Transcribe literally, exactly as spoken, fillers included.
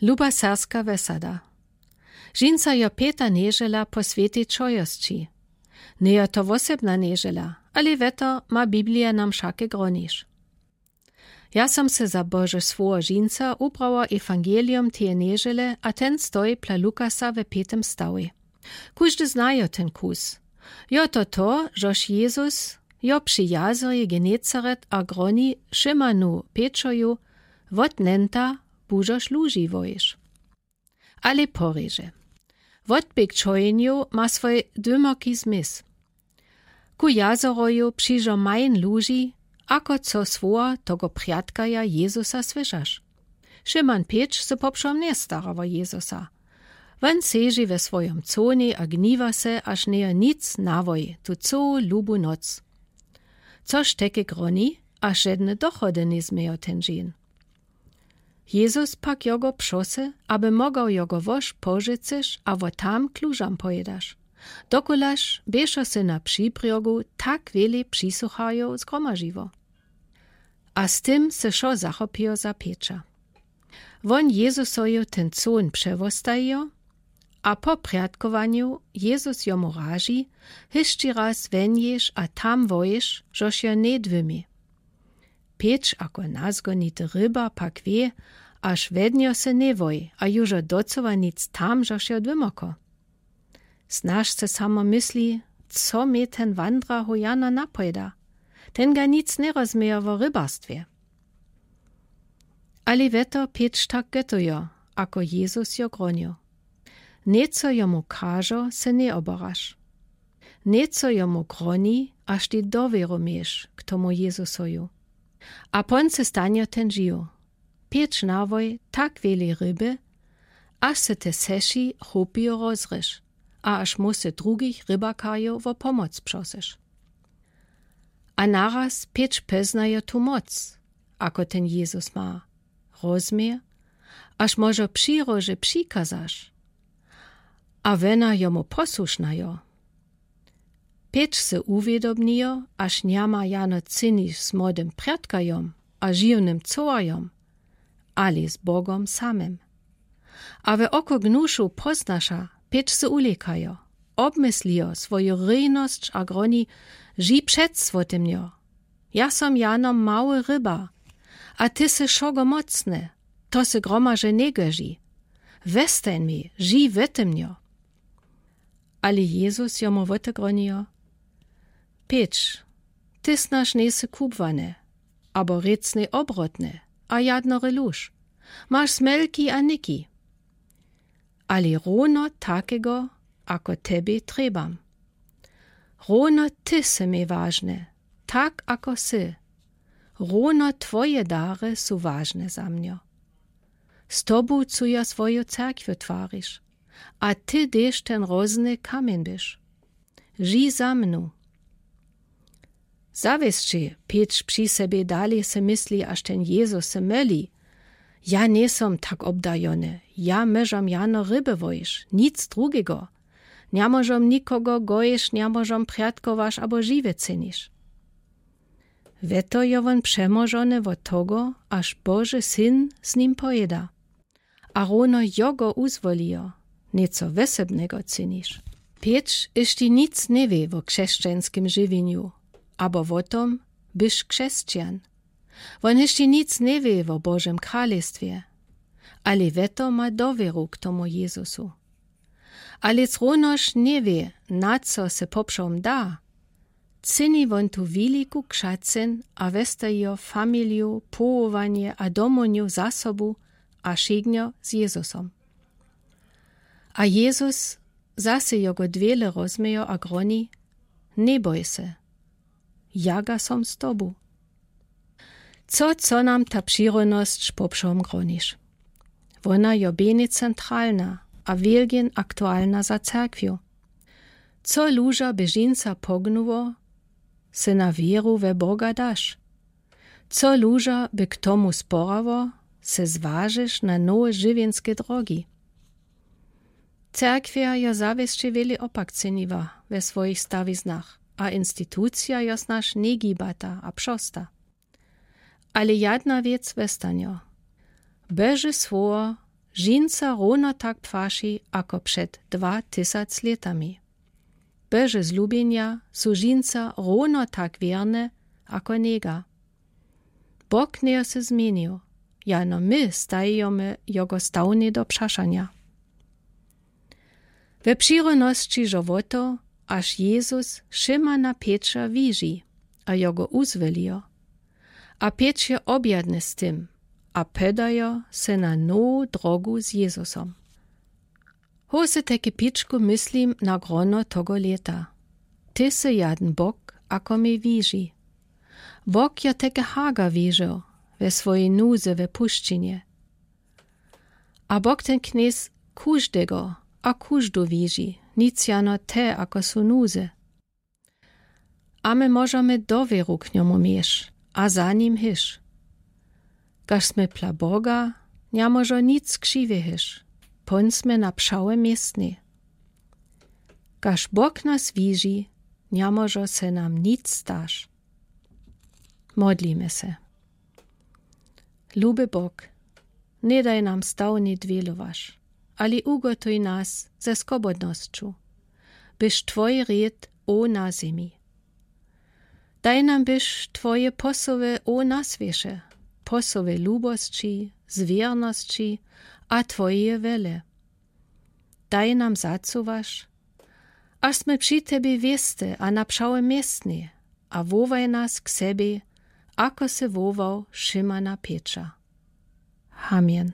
Luba serbska wesada. Žinca jo pěta nježela po swětej čojosći. Njejo to wosebna nježela, ale we to ma biblija nam wšake groniš. Ja som se za bože słowo žinca ubrała ewangeliom teje nježele a ten stoji pla lukasa we pětym stałej. Kóżdy znajo ten kus. Jo to to, žož jezus jo pśi jazorje genezaret a groni, šimanu pětšoju: „Wot nenta bùdzosz luži woješ.” Ale pòrěže. Wotběg čojenju ma swój dwěmoki zmysł. Ku jazoroju pśižo majn luži, ako co słowa togo prjadkaja jezusa słyšasz. Šiman pětš se popšom njestara wo jezusa. Wón seži we swojom cóni a gniwa se, až njejo nic nawoj tu cołu lubu noc. Což teke groni, a žedne dochody njezmiejo ten dźeń. Jezus pak jo go pśosył, aby mogał jo go woš pożecyš a wot tam k lužam pojedaš. Dokulaž běšo se na pśibrjogu tak wjele pśisochajow zgromažiło. A z tym se wšo zachopiło za pětša. Wón jezusoju ten cón pśewostajiło, a po prjadkowanju jezus jomu raži: „Hišći raz wón jesz a tam wojesz, žož jo njedwěmi.” Pětš ako nazgonity ryba pak wě, až wednjo se njewoj a južo docowa nic tam, žož jo dwěmoko. Snaž se samo mysli, co mie ten wandra hojana napojeda. Ten ga nic njerozmiejo wo rybarstwje. Ale we to pětš tak gotujo, ako jezus jo gronił. Njeco jomu kažo, se njeobaraš. Njeco jomu groni, až ti dowěru měš k tomu jezusoju. A pón se stanjo ten žiw. Pětš nawoj tak wjeli ryby, až se te seši chopijo rozryš, a až móse drugich rybakarjow wo pomoc pśosyš. A naraz pětš pòznajo tu moc, ako ten jezus ma. Rozmie, až mòże pśirože pśikazaš, a wena jomu pòsłušna jo. Pětš se uwědomnijo, až nja ma jano cyniš z młodym prjadkajom a žiwnym cołajom, ale z bogom samym. A we oko gnušu pòznaša, pětš se ulekajo, obmyslijo swóju rejnosć a groni: „Ži před swótemnjo. Ja som jano mały ryba, a ty sy wšogo mocny, to se gromaže njegoži. Westań mi, ži wétemnjo.” Ale jezus jomu wótegronijo: „Pětš, ty snaž njejsy kubłany, abo rěcny obrotny, a jadnory luž. Maš smelki a niki. Ale rowno takego, ako tebie trjebam. Rowno ty sy mie wažny, tak ako sy. Rowno twoje dary su wažne za mnjo. Z tobu chcu jo swóju cerkwiu twarić, a ty tež ten rozny kamjeń byś. Ži za mnu.” Zawěsće pětš pśi sebie dali se mysli, až ten jezus se myli: „Ja njejsom tak obdajony, ja mòżom jano ryby wojeć, nic drugego. Nja mòżom nikogo gojeć, nja mòżom prjadkować abo žiwe cynić.” We to jo wón přemòżony wot togo, až Boži syn z nim pojeda. A rowno jo go uzwolijo, njeco wosebnego cynić. Pětš hišti nic njewě wo křesćańskim žiwjenju, abo wo tom, byś křesćan. Wón hišti nic njewě wo Božim kralestwje, ale we to ma dowěru k tomu jezusu. A lec rownož njewě, na co se popšom da, cyni wón tu wiliku křacyn a westajijo familiju, połowanje a domowinju za sobu a wšitknjo z jezusom. A jezus zase jo go dwěle rozmiejo a groni: „Njeboj se, jaga som z tobu.” Co, co nam ta pśirodnosć popšom groniš? Wona jo běni centralna a wělgin aktualna za cerkwju. Co luža běžinca pognuło, se na wěru we Boga daš? Co luža by k tomu sporało, se zwažiš na nowe žiwjenske drogi? Cerkwja jo zawěsće wjele opak cyniła we swojich stawiznach, a institucija jo snaž njegibata a pśosta. Ale jedna wěc westanje. Bože słowo žinca rowno tak płaši ako przed dwa tysac latami. Boże zlubjenja su žinca rowno tak wierne ako nega. Bóg njeje se zmienił, jano my stajijomy jogo stałnje do przaszanja. We przirownosci żołoto, aż Jezus Szymana Petra wiżi a jogo uzwolijo, a Petr je objadny z tym, a podajo se na nową drogu z Jezusom. Hosy, te kipicku, myslim na grono togo lata. Ty sy jaden Bóg, ako mie wiżi. Bóg jo teke Haga wiżił we swojej nuze we puszczynje. A Bóg ten Knjez kóżdego a kóżdu wiżi, nic jano te, ako su w nuze. A my możemy dowieru k njomu miec, a za nim hic. Gaż smy pla Bóga, nje mòżo nic krziwe hic, pón smy na przałe miestnie. Gaż Bóg nas wiżi, nje mòżo se nam nic stac. Modlimy se. Luby Bóg, nje daj nam stałnje dwilowac, ale ugòtuj nas ze skobòdnoscu, byś twoji rid ò na zemi. Daj nam byś twoje posowe ò na swiesze, posowe lubosci, zwiernosci a twojeje wele. Daj nam zacuwac, aż smy przi tebie wieste a na przałe miestnie, a wòłaj nas k sebie, ako se wòłôł Szymana Petra. Amen.